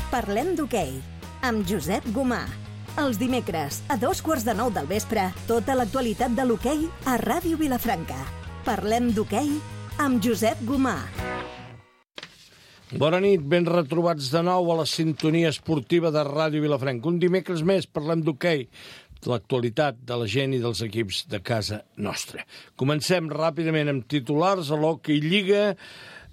Parlem d'hoquei, amb Josep Gomà. Els dimecres, a 8:45 del vespre, tota l'actualitat de l'hoquei a Ràdio Vilafranca. Parlem d'hoquei amb Josep Gomà. Bona nit, ben retrobats de nou a la sintonia esportiva de Ràdio Vilafranca. Un dimecres més parlem d'hoquei, de l'actualitat de la gent i dels equips de casa nostra. Comencem ràpidament amb titulars a l'Hockey Lliga.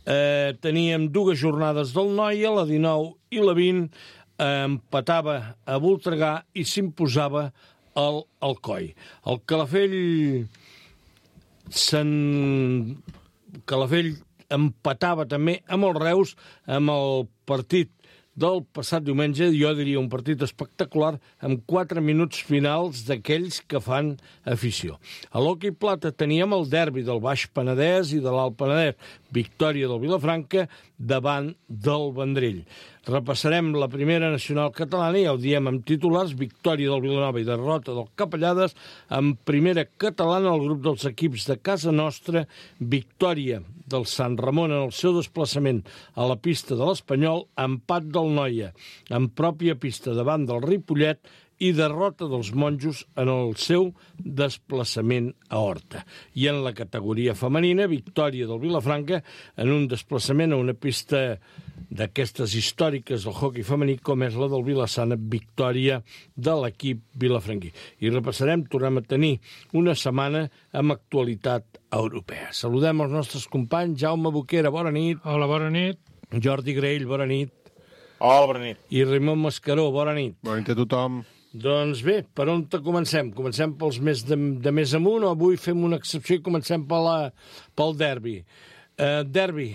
Teníem dues jornades del Noia, la 19 i la 20, empatava a Voltregà i s'imposava el Alcoi. El Calafell empatava també amb el Reus, amb el partit del passat diumenge, jo diria un partit espectacular, amb 4 minuts finals d'aquells que fan afició. A l'Hockey Plata teníem el derbi del Baix Penedès i de l'Alt Penedès, victòria del Vilafranca davant del Vendrell. Repassarem la primera nacional catalana, ja ho diem amb titulars, victòria del Vilanova i derrota del Capellades. En primera catalana, el grup dels equips de casa nostra, victòria del Sant Ramon en el seu desplaçament a la pista de l'Espanyol, empat del Noia en pròpia pista davant del Ripollet i derrota dels Monjos en el seu desplaçament a Horta. I en la categoria femenina, victòria del Vilafranca en un desplaçament a una pista d'aquestes històriques del hoquei femení, com és la del Vilassana, victòria de l'equip vilafranquí. I repassarem, tornem a tenir una setmana amb actualitat europea. Saludem els nostres companys. Jaume Boquera, bona nit. Hola, bona nit. Jordi Graell, bona nit. Hola, bona nit. I Raimon Mascaró, bona nit. Bona nit a tothom. Doncs bé, per on comencem? Comencem pels de més amunt, o avui fem una excepció i comencem pel derbi? Derbi,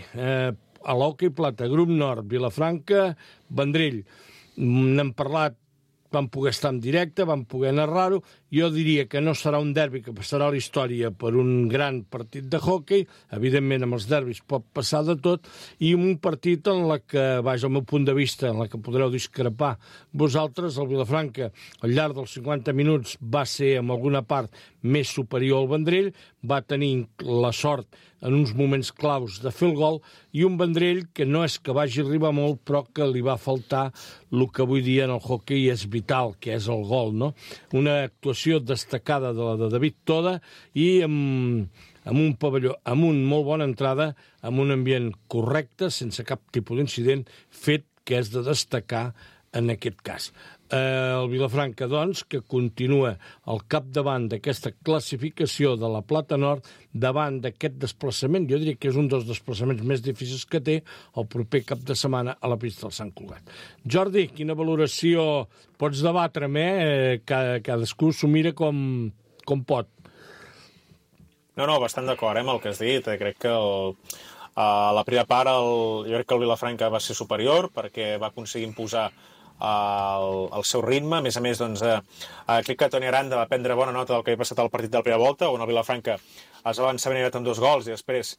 a l'Hockey Plata, grup nord, Vilafranca, Vendrell. N'hem parlat, vam poder estar en directe, vam poder narrar-ho. Jo diria que no serà un derbi que passarà a la història per un gran partit de hoquei. Evidentment, amb els derbis pot passar de tot. I un partit en la que, vaja, al meu punt de vista, en la que podreu discrepar vosaltres, el Vilafranca, al llarg dels 50 minuts, va ser, en alguna part, més superior al Vendrell, va tenir la sort en uns moments claus de fer el gol, i un Vendrell que no és que vagi arribar molt, però que li va faltar el que avui dia en el hoquei és vital, que és el gol, no? Una actuació destacada de la de David Toda i amb un pavelló, amb una molt bona entrada, amb un ambient correcte, sense cap tipus d'incident, fet que és de destacar en aquest cas. El Vilafranca, doncs, que continua al capdavant d'aquesta classificació de la Plata Nord, davant d'aquest desplaçament, jo diria que és un dels desplaçaments més difícils que té, el proper cap de setmana a la pista del Sant Cugat. Jordi, quina valoració pots debatre'm, cadascú s'ho mira com pot. No, bastant d'acord amb el que has dit. Crec que a la primera part jo crec que el Vilafranca va ser superior perquè va aconseguir imposar el seu ritme. A més, doncs, crec que Toni Aranda va prendre bona nota del que havia passat al partit de la primera volta, on el Vilafranca es va avançar ben amb 2 gols i després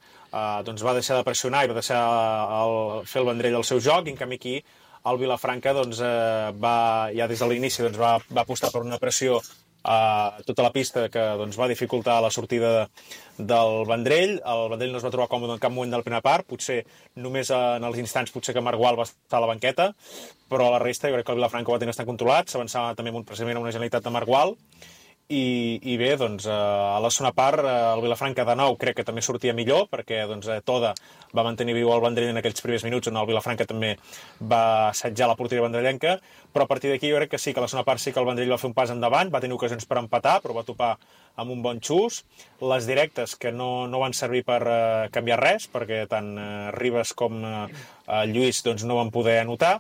doncs, va deixar de pressionar i va deixar fer el Vendrell el seu joc, i en canvi aquí el Vilafranca doncs, ja des de l'inici doncs, va apostar per una pressió a tota la pista que doncs, va dificultar la sortida del Vendrell. El Vendrell no es va trobar còmode en cap moment de la primera part, potser només en els instants potser que Marc Gual va estar a la banqueta, però a la resta jo crec que el Vilafranca ho va tenir bastant controlat, s'avançava també precisament a una genialitat de Marc Gual. I bé, doncs, a la segona part, el Vilafranca de nou crec que també sortia millor, perquè doncs, Toda va mantenir viu el Vendrell en aquells primers minuts, on el Vilafranca també va assetjar la porteria vendrellenca, però a partir d'aquí jo crec que sí, que a la segona part sí que el Vendrell va fer un pas endavant, va tenir ocasions per empatar, però va topar amb un bon xus. Les directes que no van servir per canviar res, perquè tant Ribas com Lluís doncs, no van poder anotar.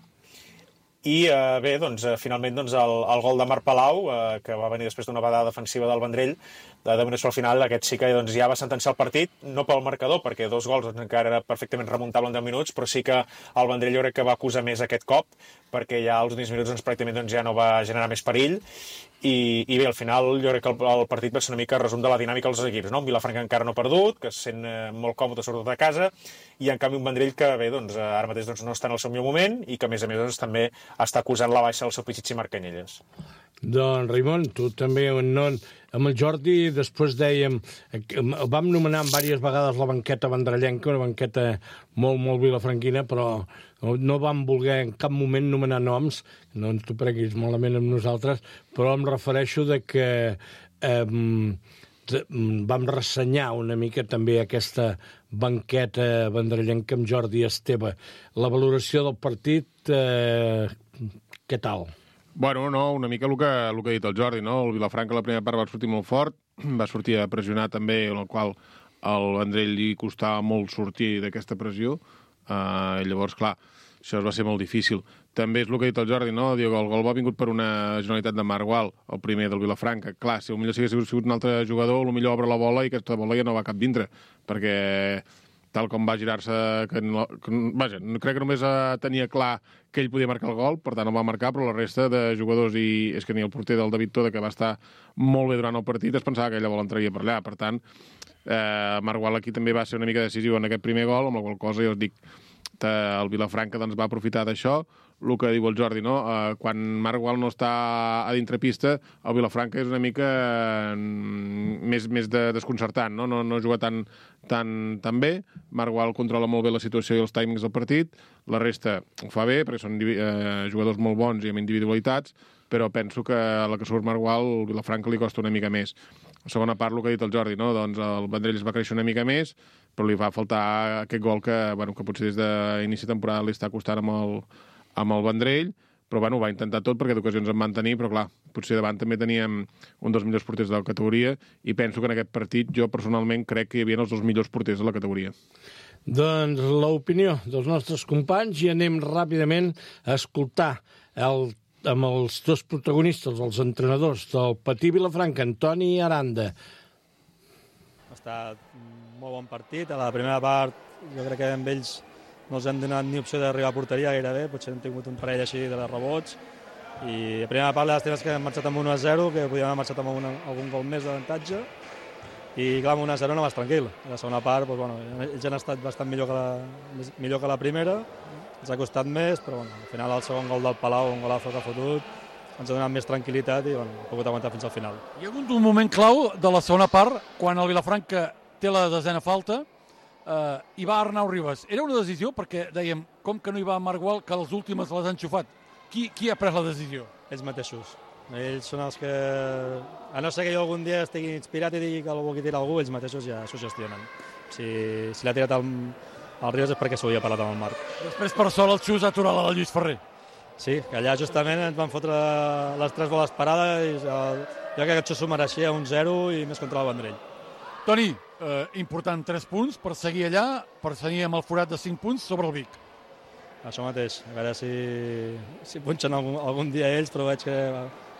I bé, doncs, finalment doncs, el gol de Marc Palau, que va venir després d'una badada defensiva del Vendrell, de dominació al final, aquest sí que doncs, ja va sentenciar el partit, no pel marcador, perquè 2 gols doncs, encara era perfectament remuntable en 10 minuts, però sí que el Vendrell jo crec que va acusar més aquest cop, perquè ja als últims minuts doncs, pràcticament doncs, ja no va generar més perill. I bé, al final jo crec que el partit va ser una mica resum de la dinàmica dels equips, no? Un Vilafranca encara no perdut, que se sent molt còmode sobretot a casa, i en canvi un Vendrell que bé, doncs, ara mateix doncs, no està en el seu millor moment i que a més doncs, també està acusant la baixa del seu Pichichi Marc Canyelles. Doncs, Raimon, tu també, amb el Jordi, després dèiem, vam nomenar diverses vegades la banqueta vendrellenca, una banqueta molt, molt vilafranquina, però no vam voler en cap moment nomenar noms, no ens t'ho prenguis malament amb nosaltres, però em refereixo de que vam ressenyar una mica també aquesta banqueta vendrellenca amb Jordi Esteve. La valoració del partit, què tal? Bueno, no, una mica el que ha dit el Jordi, no? El Vilafranca la primera part va sortir molt fort, va sortir a pressionar també, en el qual al Vendrell li costava molt sortir d'aquesta pressió, i llavors, clar, això va ser molt difícil. També és el que ha dit el Jordi, no? Diu que el gol ha vingut per una generalitat de Marc Gual, el primer del Vilafranca. Clar, si potser si hagués sigut un altre jugador, potser obre la bola i aquesta bola ja no va cap dintre, perquè tal com va girar-se... Vaja, crec que només tenia clar que ell podia marcar el gol, per tant el va marcar, però la resta de jugadors, i és que ni el porter del David Toda, que va estar molt bé durant el partit, es pensava que aquella bola entraria per allà. Per tant, Marc Gual aquí també va ser una mica decisiu en aquest primer gol, amb la qual cosa jo us dic, el Vilafranca doncs, va aprofitar d'això. El que diu el Jordi, no? Quan Marc Gual no està a dintre pista, el Vilafranca és una mica més desconcertant, no? No juga tan bé. Marc Gual controla molt bé la situació i els timings del partit. La resta ho fa bé, perquè són jugadors molt bons i amb individualitats, però penso que a la que surt Marc Gual, el Vilafranca li costa una mica més. La segona part, el que ha dit el Jordi, no? Doncs el Vendrell es va créixer una mica més, però li va faltar aquest gol que potser des d'inici de temporada li està costant amb el Vendrell, però ho va intentar tot perquè d'ocasions en van tenir, però clar, potser davant també teníem un dels millors porters de la categoria i penso que en aquest partit jo personalment crec que hi havia els dos millors porters de la categoria. Doncs l'opinió dels nostres companys i anem ràpidament a escoltar amb els dos protagonistes, els entrenadors del Patí Vilafranca, Antoni Aranda. Ha estat un molt bon partit. A la primera part jo crec que amb ells no els hem donat ni opció d'arribar a porteria gairebé, potser hem tingut un parell així de rebots, i a primera part les temes que hem marxat amb 1-0, que podíem haver marxat amb algun gol més d'avantatge, i clar, amb 1-0 no vas tranquil. A la segona part, ells han estat bastant millor que la primera, ens ha costat més, però al final el segon gol del Palau, un golazo que ha fotut, ens ha donat més tranquil·litat i hem pogut aguantar fins al final. Hi ha hagut un moment clau de la segona part, quan el Vilafranca té la desena falta, i va Arnau Ribas. Era una decisió perquè dèiem, com que no hi va Marc Gual, que les últimes les han xufat. Qui ha pres la decisió? Ells mateixos. Ells són els que, a no ser que jo algun dia estigui inspirat i digui que algú qui tira algú, ells mateixos ja s'ho gestionen. Si l'ha tirat el Ribas és perquè s'ho havia parlat amb el Marc. Després, per sort, el xus ha aturat la Lluís Ferrer. Sí, que allà justament ens van fotre les 3 boles parades i jo crec que això s'ho mereixia 1-0 i més contra el Vendrell. Toni, important 3 punts per seguir allà, per seguir amb el forat de 5 punts sobre el Vic. Això mateix, a veure si punxen algun dia ells, però veig que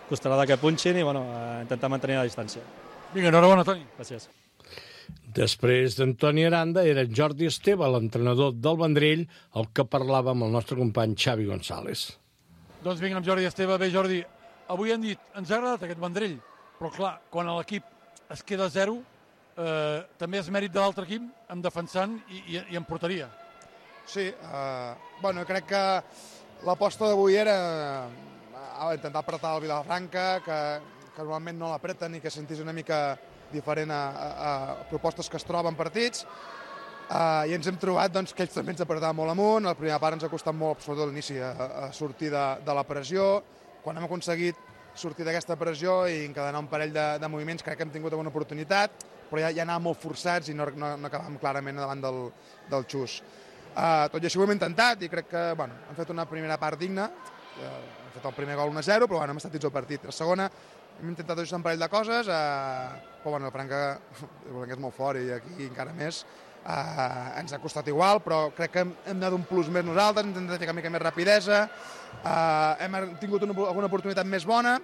costarà que punxin i intentar mantenir la distància. Vinga, enhorabona, Toni. Gràcies. Després d'Antoni Aranda era Jordi Esteve, l'entrenador del Vendrell, el que parlava amb el nostre company Xavi González. Doncs vinga, amb Jordi Esteve. Bé, Jordi, avui han dit, ens ha agradat aquest Vendrell, però clar, quan l'equip es queda a 0, també és mèrit de l'altre equip, en defensant i en porteria. Sí, crec que l'aposta d'avui era intentar apretar el Vilafranca, que normalment no l'apreten i que sentís una mica diferent a propostes que es troben partits, i ens hem trobat que ells també ens apretaven molt amunt. La primera part ens ha costat molt, sobretot a l'inici, a sortir de la pressió. Quan hem aconseguit sortir d'aquesta pressió i encadenar un parell de moviments, crec que hem tingut alguna oportunitat, però ja anàvem molt forçats i no acabàvem clarament davant del xus. Tot i així ho hem intentat i crec que hem fet una primera part digna. Hem fet el primer gol 1-0, però hem estat dins el partit. La segona hem intentat ajustar un parell de coses, però el Franca és molt fort i aquí encara més. Ens ha costat igual, però crec que hem donat un plus més nosaltres, hem intentat ficar una mica més rapidesa, hem tingut alguna oportunitat més bona.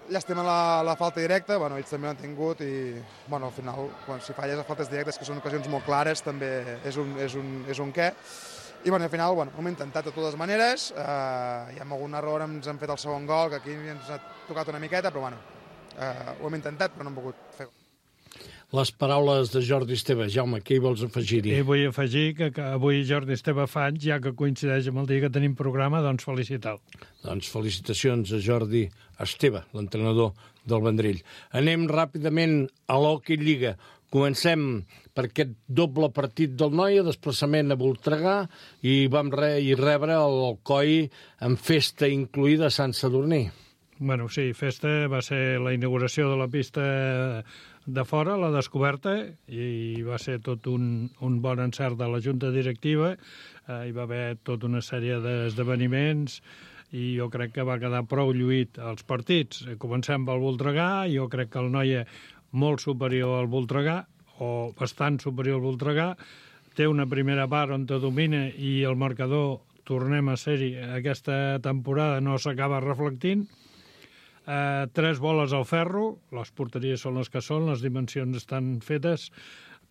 Llàstima la falta directa, ells també l'han tingut i al final, si falles a faltes directes, que són ocasions molt clares, també és un què. I al final hem intentat de totes maneres, i amb algun error ens han fet el segon gol, que aquí ens ha tocat una miqueta, però ho hem intentat, però no hem pogut fer. Les paraules de Jordi Esteve. Jaume, què hi vols afegir-hi? Vull afegir que avui Jordi Esteve fa anys, ja que coincideix amb el dia que tenim programa, doncs felicitar-lo. Doncs felicitacions a Jordi Esteve, l'entrenador del Vendrell. Anem ràpidament a l'Hockey Lliga. Comencem per aquest doble partit del Noia, desplaçament a Voltregà, i vam rebre el Alcoi amb festa incluïda a Sant Sadurní. Bueno, sí, festa va ser la inauguració de la pista de fora, la descoberta, i va ser tot un bon encert de la Junta Directiva. Hi va haver tota una sèrie d'esdeveniments i jo crec que va quedar prou lluït els partits. Comencem pel Voltregà, jo crec que el Noia molt superior al Voltregà, o bastant superior al Voltregà, té una primera part on te domina i el marcador, tornem a ser-hi, aquesta temporada no s'acaba reflectint. 3 boles al ferro, les porteries són les que són, les dimensions estan fetes,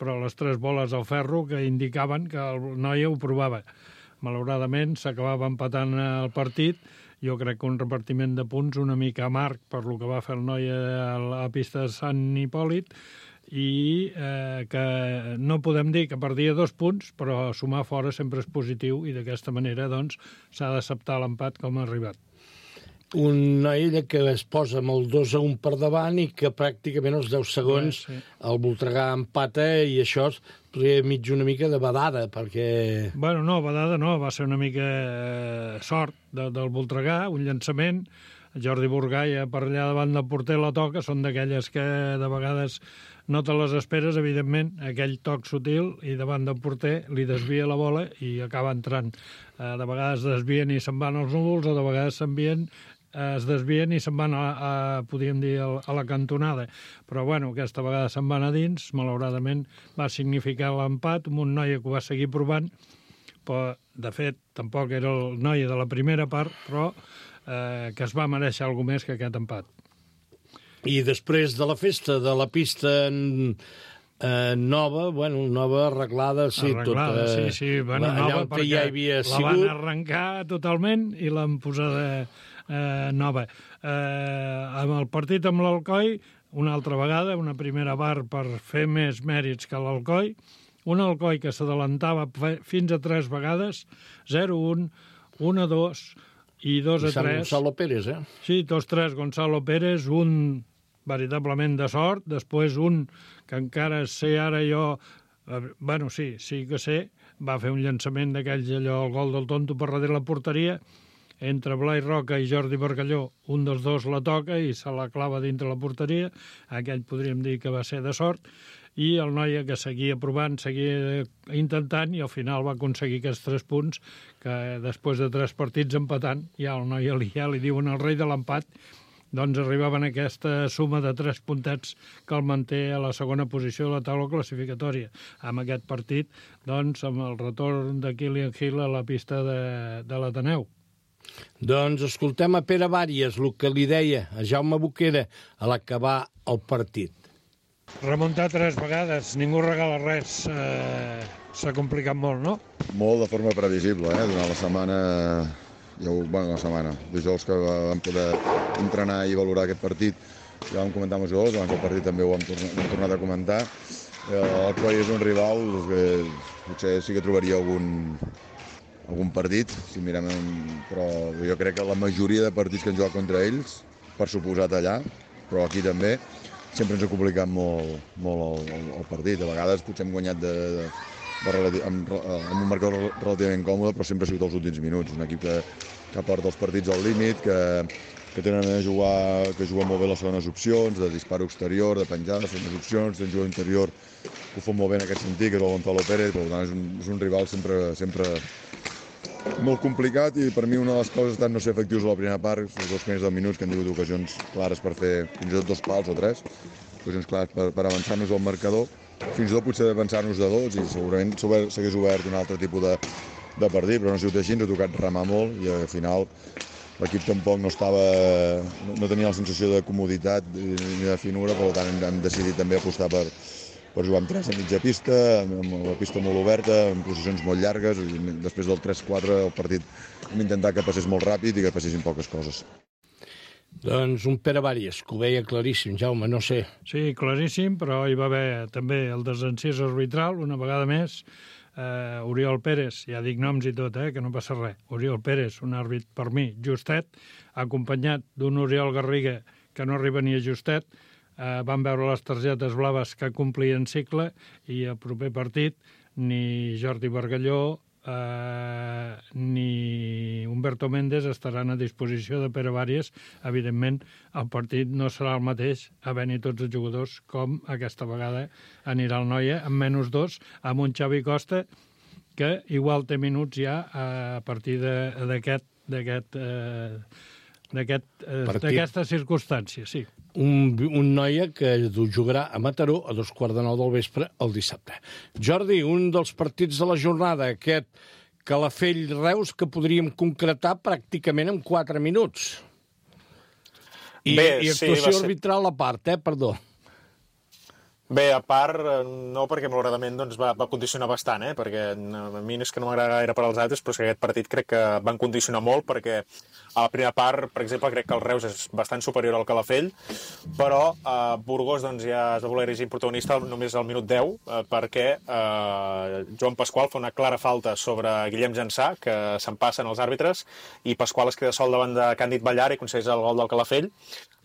però les 3 boles al ferro que indicaven que el Noia ho provava. Malauradament s'acabava empatant el partit. Jo crec que un repartiment de punts una mica amarg per lo que va fer el Noia a la pista de Sant Hipòlit, i que no podem dir que perdia 2 punts, però sumar fora sempre és positiu i d'aquesta manera doncs s'ha d'acceptar l'empat com ha arribat. Un Noia que es posa amb el 2-1 per davant i que pràcticament als 10 segons el Voltregà empata, i això podria mig una mica de badada, perquè... Bueno, no, badada no, va ser una mica sort del Voltregà, un llançament. Jordi Burgaia per allà davant del porter la toca, són d'aquelles que de vegades no te les esperes, evidentment, aquell toc sutil, i davant del porter li desvia la bola i acaba entrant. De vegades desvien i se'n van als núvols, o de vegades es desvien i se'n van podríem dir, a la cantonada. Però, bueno, aquesta vegada se'n van a dins, malauradament va significar l'empat, amb un Noia que ho va seguir provant, però, de fet, tampoc era el Noia de la primera part, però que es va mereixer alguna més que aquest empat. I després de la festa de la pista nova, bueno, nova, arreglada, sí, arreglada, tota... sí, bueno, nova, perquè ja havia la van arrencar totalment i l'han posada nova. Amb el partit amb l'Alcoi, una altra vegada, una primera part per fer més mèrits que l'Alcoi, un Alcoi que s'adelantava fins a 3 vegades, 0-1, 1-2 i 2-3. Gonzalo Pérez, Sí, 2-3 Gonzalo Pérez, un veritablement de sort, després un que encara sé ara jo, bueno, sí que sé, va fer un llançament d'aquells, allò, el gol del tonto per darrere la porteria, entre Blai Roca i Jordi Bargalló, un dels dos la toca i se la clava dintre la porteria, aquell podríem dir que va ser de sort, i el Noia que seguia provant, seguia intentant, i al final va aconseguir aquests 3 punts, que després de 3 partits empatant, ja el Noia ja li diuen el rei de l'empat, doncs arribaven a aquesta suma de 3 puntets que el manté a la segona posició de la taula classificatòria. Amb aquest partit, doncs, amb el retorn de Kilian Hill a la pista de l'Ateneu. Doncs escoltem a Pere Bàries, el que li deia a Jaume Boquera a l'acabar el partit. Remuntar 3 vegades, ningú regala res, s'ha complicat molt, no? Molt de forma previsible, durant la setmana, la setmana, dijous que vam poder entrenar i valorar aquest partit, ja vam comentar amb els jugadors, abans del partit també ho hem tornat a comentar. El Coi és un rival que potser sí que trobaria algun partit, si mirem, però jo crec que la majoria de partits que han jugat contra ells, per suposat allà, però aquí també, sempre ens ha complicat molt el partit. A vegades potser hem guanyat amb un marcador relativament còmode, però sempre ha sigut els últims minuts. Un equip que porta els partits al límit, que tenen a jugar, que juguen molt bé les segones opcions, de disparo exterior, de penjada, segones opcions, tenen jugador interior que ho fan molt bé en aquest sentit, que és el Gonzalo Pérez, per tant és un rival sempre molt complicat, i per mi una de les causes ha estat no ser efectius a la primera part, els 2 primers 10 minuts, que han tingut ocasions clares per fer fins i tot 2 pals o 3, ocasions clares per avançar-nos al marcador, fins i tot potser avançar-nos de 2, i segurament s'hagués obert un altre tipus de partit, però no ha sigut així, ens ha tocat remar molt, i al final l'equip tampoc no tenia la sensació de comoditat ni de finura, per tant hem decidit també apostar per jugar amb 3 a mitja pista, amb la pista molt oberta, amb posicions molt llargues, i després del 3-4 el partit hem intentat que passés molt ràpid i que passessin poques coses. Doncs un Pere Bàries, que ho veia claríssim, Jaume, no sé. Sí, claríssim, però hi va haver també el desencís arbitral, una vegada més. Oriol Pérez, ja dic noms i tot, que no passa res. Oriol Pérez, un àrbit per mi justet, acompanyat d'un Oriol Garriga que no arriba ni a justet, van veure les targetes blaves que complien cicle i el proper partit ni Jordi Bargalló ni Humberto Méndez estaran a disposició de Pere Vàries. Evidentment, el partit no serà el mateix havent-hi tots els jugadors com aquesta vegada anirà el Noia amb -2, amb un Xavi Costa que igual té minuts ja a partir d'aquesta circumstància, sí. Un Noia que jugarà a Mataró a 2:15 del vespre el dissabte. Jordi, un dels partits de la jornada, aquest Calafell-Reus, que podríem concretar pràcticament en 4 minuts. I actuació arbitral a part, perdó. Bé, a part, no, perquè malauradament doncs, va condicionar bastant, perquè a mi és que no m'agrada gaire per als altres, però és que aquest partit crec que van condicionar molt, perquè a la primera part, per exemple, crec que el Reus és bastant superior al Calafell, però Burgos doncs, ja es va voler erigir protagonista només al minut 10, perquè Joan Pasqual fa una clara falta sobre Guillem Jansà, que se'n passen els àrbitres, i Pasqual es queda sol davant de Càndid Ballar i aconsegueix el gol del Calafell.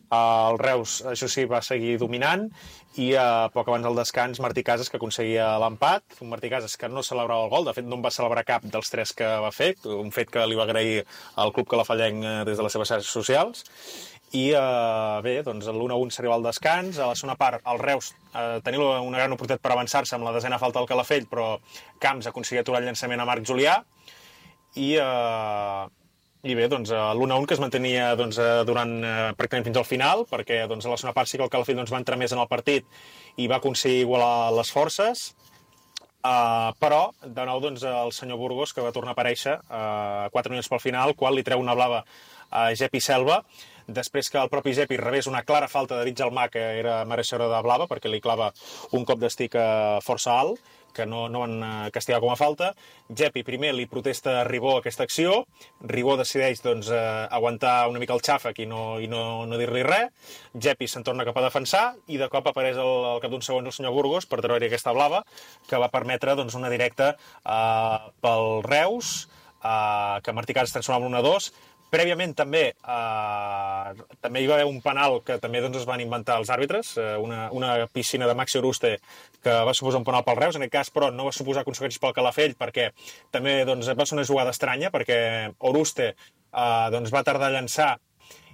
El Reus, això sí, va seguir dominant i poc abans del descans Martí Casas, que aconseguia l'empat, un Martí Casas que no celebrava el gol, de fet no en va celebrar cap dels 3 que va fer, un fet que li va agrair al club calafallenc des de les seves xarxes socials. I bé, doncs l'1-1 s'arriba al descans. A la segona part el Reus tenia una gran oportunitat per avançar-se amb la desena falta del Calafell, però Camps aconseguia aturar el llançament a Marc Julià i bé, doncs, l'1-1 que es mantenia doncs, durant pràcticament fins al final, perquè doncs, a la segona part sí que el Calafell doncs, va entrar més en el partit i va aconseguir igualar les forces, però de nou doncs, el senyor Burgos, que va tornar a aparèixer 4 minuts pel final, quan li treu una blava a Gepi Selva, després que el propi Gepi rebés una clara falta de David Gelmà, que era mereixedora de blava, perquè li clava un cop d'estic força alt, que no van castigar com a falta. Gepi primer li protesta a Ribó aquesta acció, Ribó decideix doncs, aguantar una mica el xàfec i no dir-li res, Gepi se'n torna cap a defensar i de cop apareix al cap d'un segon el senyor Burgos per treure aquesta blava, que va permetre doncs, una directa pel Reus, que Martí Casas transformava en 1-2. Prèviament també hi va haver un penal que també doncs, es van inventar els àrbitres, una piscina de Maxi Oruste que va suposar un penal pel Reus, en aquest cas però no va suposar conseqüències pel Calafell perquè també doncs, va ser una jugada estranya perquè Oruste doncs, va tardar a llançar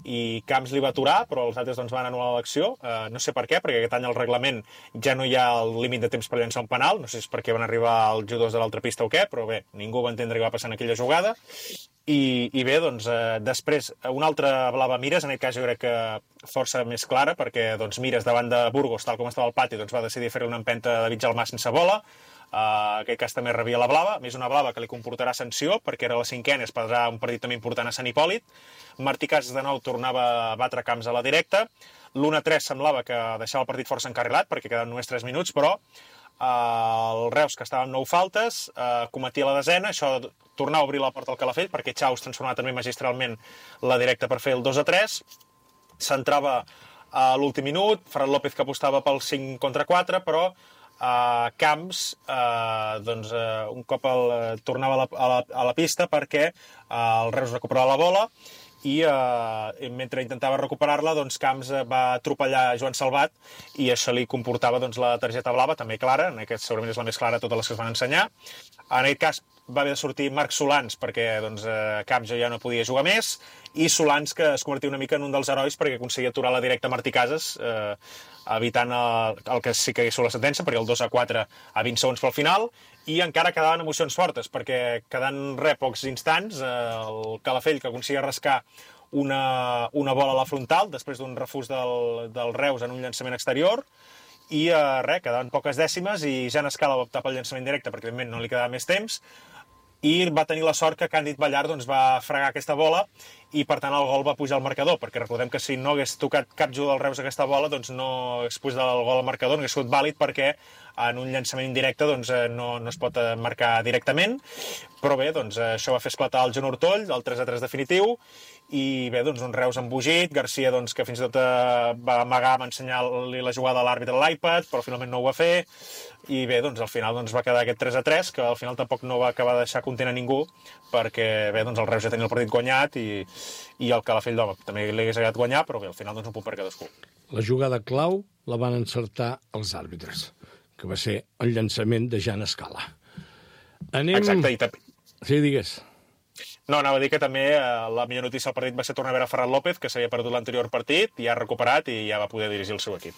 i Camps li va aturar, però els altres doncs, van anul·lar l'acció. No sé per què, perquè aquest any al reglament ja no hi ha el límit de temps per llançar un penal, no sé si és perquè van arribar els jugadors de l'altra pista o què, però bé, ningú va entendre què va passar en aquella jugada. I bé, doncs, després, una altra blava Mires, en aquest cas jo crec que força més clara, perquè doncs, Mires davant de Burgos, tal com estava al pati, doncs, va decidir fer una empenta de David Gelmà sense bola. En aquest cas també rebia la blava, més una blava que li comportarà sanció, perquè era la 5a, es perdrà un partit també important a Sant Hipòlit. Martí Casas de nou tornava a batre Camps a la directa. L'1-3 semblava que deixava el partit força encarrilat, perquè quedaven només 3 minuts, però el Reus, que estava amb 9 faltes, cometia la desena, això tornava a obrir la porta al Calafell, perquè Chaus transformava també magistralment la directa per fer el 2-3, s'entrava a l'últim minut, Ferran López que apostava pel 5-4, però Camps doncs, un cop tornava a la pista perquè el Reus recuperava la bola i mentre intentava recuperar-la, doncs Camps va atropellar Joan Salvat i això li comportava doncs, la targeta blava, també clara, en aquest segurament és la més clara de totes les que es van ensenyar. En aquest cas va haver de sortir Marc Solans perquè doncs, Camps ja no podia jugar més i Solans que es convertia una mica en un dels herois perquè aconseguia aturar la directa Martí Casas evitant el que sí que és la sentència, perquè el 2-4 a 20 segons pel final, i encara quedaven emocions fortes, perquè quedant pocs instants, el Calafell que aconseguia rascar una bola a la frontal, després d'un refús del Reus en un llançament exterior, i quedaven poques dècimes, i Jan Escala va optar pel llançament directe, perquè evidentment no li quedava més temps, i va tenir la sort que Càndid Ballar doncs, va fregar aquesta bola i per tant el gol va pujar al marcador, perquè recordem que si no hagués tocat cap jugador del Reus aquesta bola doncs no hagués pujat el gol al marcador, no hagués sigut vàlid perquè en un llançament indirecte doncs, no es pot marcar directament, però bé, doncs, això va fer esclatar el Joan Ortoll, el 3-3 definitiu, i bé, doncs, un Reus embogit, Garcia doncs, que fins i tot va amagar, va ensenyar-li la jugada a l'àrbitre a l'iPad, però finalment no ho va fer, i bé, doncs, al final doncs, va quedar aquest 3-3, que al final tampoc no va acabar de deixar content a ningú, perquè bé, doncs, el Reus ja tenia el partit guanyat i i el Calafell d'home també li hagués agradat guanyar, però bé, al final doncs un punt per cadascú. La jugada clau la van encertar els àrbitres, que va ser el llançament de Jan Escala. Exacte, i també... Sí, digues. No, anava a dir que també la millor notícia del partit va ser tornar a veure Ferran López, que s'havia perdut l'anterior partit, i ha recuperat i ja va poder dirigir el seu equip.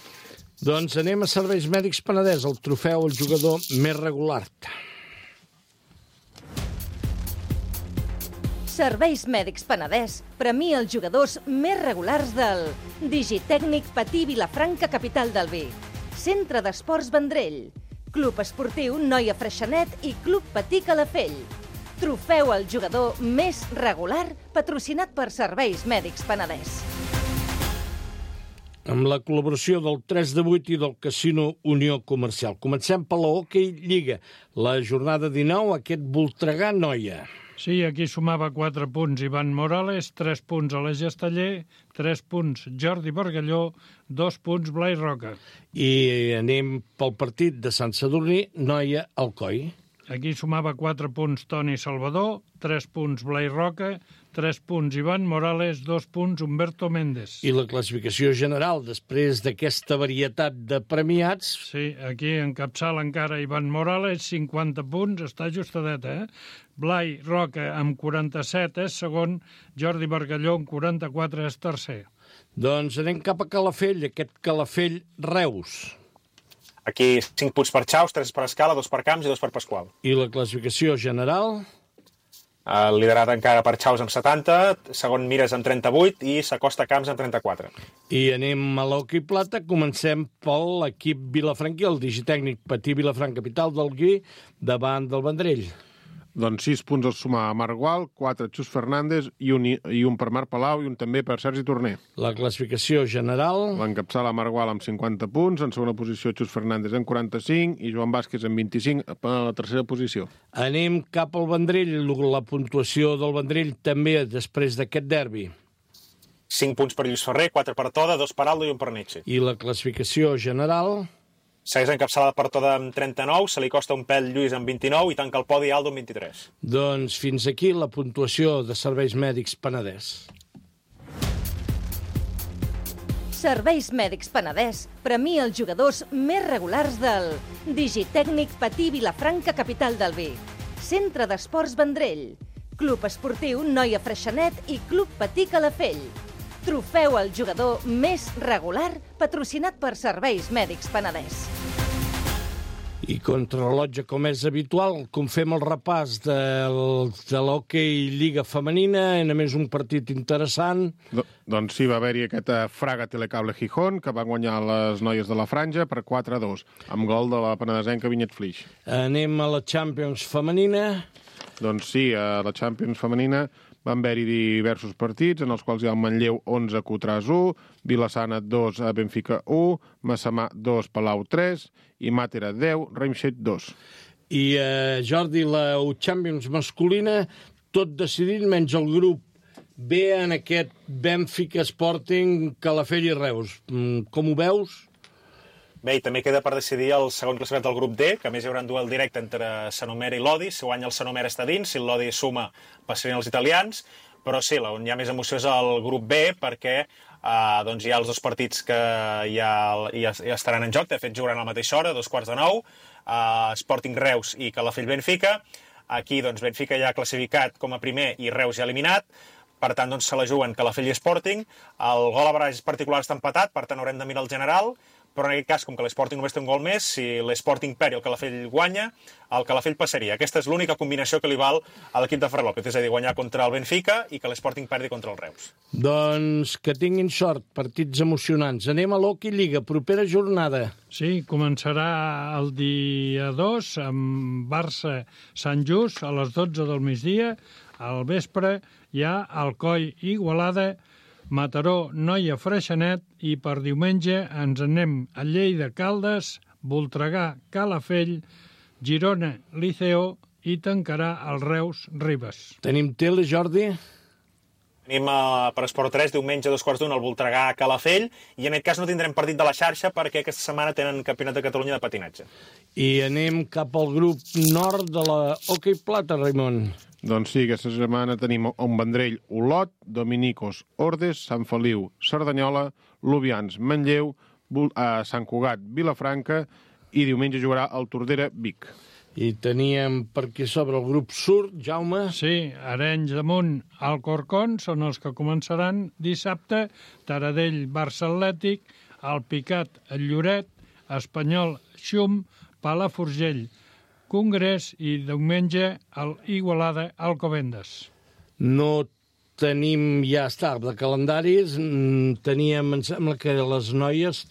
Doncs anem a Serveis Mèdics Penedès, el trofeu al jugador més regular. Serveis Mèdics Penedès premia els jugadors més regulars del Digitècnic Patí Vilafranca, capital del vi, Centre d'Esports Vendrell, Club Esportiu Noia Freixenet i Club Patí Calafell. Trofeu al jugador més regular, patrocinat per Serveis Mèdics Penedès. Amb la col·laboració del 3 de 8 i del Casino Unió Comercial. Comencem per la Hockey Lliga. La jornada 19, aquest Voltregà Noia. Sí, aquí sumava 4 punts Ivan Morales, 3 punts Aleix Esteller, 3 punts Jordi Bargalló, 2 punts Blai Roca. I anem pel partit de Sant Sadurní, Noia Alcoi. Aquí sumava 4 punts Toni Salvador, 3 punts Blai Roca, 3 punts Ivan Morales, 2 punts Humberto Méndez. I la classificació general, després d'aquesta varietat de premiats... Sí, aquí encapçala encara Ivan Morales, 50 punts, està ajustadeta, Blai Roca amb 47 és segon, Jordi Bargalló amb 44 és tercer. Doncs anem cap a Calafell, aquest Calafell Reus. Aquí 5 punts per Xaus, 3 per Escala, 2 per Camps i 2 per Pasqual. I la classificació general? Liderat encara per Xaus amb 70, segon Mires amb 38 i s'acosta Camps amb 34. I anem a l'Hockey Plata, comencem per l'equip vilafranquí, el Digitècnic Patí Vilafranca, capital del Gui, davant del Vendrell. Doncs 6 punts els suma a Marc Gual, 4 Xus Fernández i un per Marc Palau i un també per Sergi Torner. La classificació general... L'encapçala Marc Gual amb 50 punts, en segona posició Xus Fernández amb 45 i Joan Vázquez amb 25 a la tercera posició. Anem cap al Vendrell, la puntuació del Vendrell també després d'aquest derbi. 5 punts per Lluís Ferrer, 4 per Toda, 2 per Aldo i 1 per Nietzsche. I la classificació general... Segueix encapçalada per Toda amb 39, se li costa un pèl Lluís amb 29 i tanca el podi Aldo amb 23. Doncs fins aquí la puntuació de Serveis Mèdics Penedès. Serveis Mèdics Penedès premia els jugadors més regulars del Digitècnic Patí Vilafranca, capital del vi, Centre d'Esports Vendrell, Club Esportiu Noia Freixenet i Club Patí Calafell. Trofeu al jugador més regular, patrocinat per Serveis Mèdics Penedès. I contrarrellotge, com és habitual, com fem el repàs de l'Hockey Lliga Femenina, a més un partit interessant. Doncs sí, va haver-hi aquesta Fraga Telecable Gijón, que va guanyar les noies de la Franja per 4-2, amb gol de la penedesenca Vinyet Flix. Anem a la Champions Femenina. Doncs sí, a la Champions Femenina van haver-hi diversos partits, en els quals hi ha el Manlleu 11, Cotràs 1, Vilassana 2, Benfica 1, Massamà 2, Palau 3, i Màtera 10, Reimshet 2. I Jordi, la Champions masculina, tot decidit, menys el grup B en aquest Benfica, Sporting, Calafell i Reus. Com ho veus? Bé, i també queda per decidir el segon classificat del grup D, que a més hi haurà un duel directe entre Sanomera i Lodi. Si guanya el Sanomera està dins, si el Lodi suma passarien els italians, però sí, on hi ha més emoció és el grup B, perquè doncs hi ha els dos partits que ja estaran en joc, de fet jugaran a la mateixa hora, 8:45, Sporting Reus i Calafell Benfica. Aquí doncs Benfica ja ha classificat com a primer i Reus ja eliminat, per tant doncs se la juguen Calafell i Sporting. El gol a baralles particular està empatat, per tant haurem de mirar el general, però en aquest cas, com que l'Sporting només té un gol més, si l'Sporting perd i el Calafell guanya, el Calafell passaria. Aquesta és l'única combinació que li val a l'equip de Ferran López, és a dir, guanyar contra el Benfica i que l'Sporting perdi contra el Reus. Doncs que tinguin sort, partits emocionants. Anem a l'Hockey Lliga, propera jornada. Sí, començarà el dia 2 amb Barça-Sant Just a les 12 del migdia. Al vespre hi ha Alcoi Igualada, Mataró, Noia Freixenet i per diumenge ens anem a Lleida Caldes, Voltregà Calafell, Girona Liceo i tancarà el Reus Ribes. Tenim tele, Jordi? Tenim per Esport 3 diumenge a 2:15 el Voltregà Calafell i en aquest cas no tindrem partit de la xarxa perquè aquesta setmana tenen Campionat de Catalunya de patinatge. I anem cap al grup nord de la Hockey Plata, Raimon. Doncs sí, aquesta setmana tenim un Vendrell, Olot, Dominicos, Ordes, Sant Feliu, Cerdanyola, Lubians, Manlleu, Sant Cugat, Vilafranca i diumenge jugarà el Tordera, Vic. I teníem per aquí sobre el grup Sur, Jaume. Sí, Arenys de Munt, Alcorcón són els que començaran dissabte, Taradell, Barça Atlètic, Alpicat, el Lloret, Espanyol, Xum, Palafrugell, Congrés i diumenge el Igualada, Alcobendas. No tenim, ja està, de calendaris, teníem, em sembla que les noies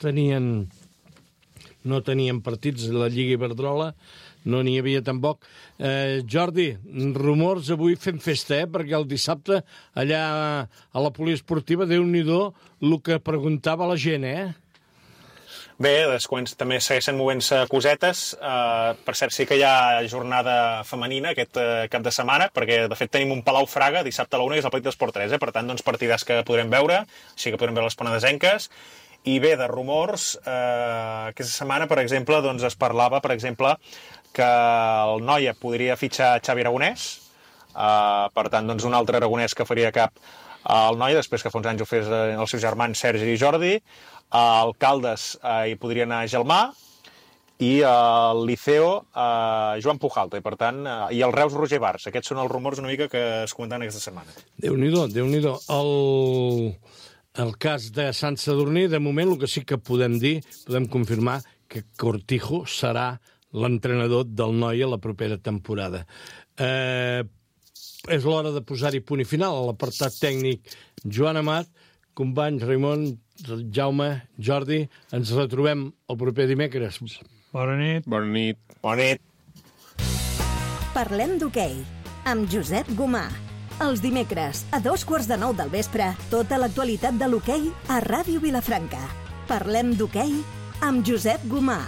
no tenien partits de la Lliga Iberdrola, no n'hi havia tampoc. Jordi, rumors avui fem festa, perquè el dissabte allà a la poliesportiva, Déu-n'hi-do, el que preguntava la gent, Bé, també segueixen movent-se cosetes. Per cert, sí que hi ha jornada femenina aquest cap de setmana, perquè de fet tenim un Palau Fraga dissabte a la 1 i és el partit d'Esport 3, per tant, partidars que podrem veure, així que podrem veure les penedesenques. I bé, de rumors, aquesta setmana, per exemple, es parlava, que el Noia podria fitxar Xavi Aragonès, per tant, un altre aragonès que faria cap al Noia, després que fa uns anys ho fes els seus germans Sergi i Jordi. Al Caldes hi podria anar Gelmà, i al Liceo Joan Pujalta, i per tant, i el Reus Roger Bars. Aquests són els rumors una mica que es comentaven aquesta setmana. Déu-n'hi-do, Déu-n'hi-do. El cas de Sant Sadurní, de moment, el que sí que podem dir, podem confirmar que Cortijo serà l'entrenador del Noia la propera temporada. És l'hora de posar-hi punt i final a l'apartat tècnic. Joan Amat, companys, Raimon, Jaume, Jordi, ens retrobem el proper dimecres. Bona nit. Bona nit. Bona nit. Parlem d'hoquei, amb Josep Gomà. Els dimecres, a 8:45 del vespre, tota l'actualitat de l'hoquei a Ràdio Vilafranca. Parlem d'hoquei amb Josep Gomà.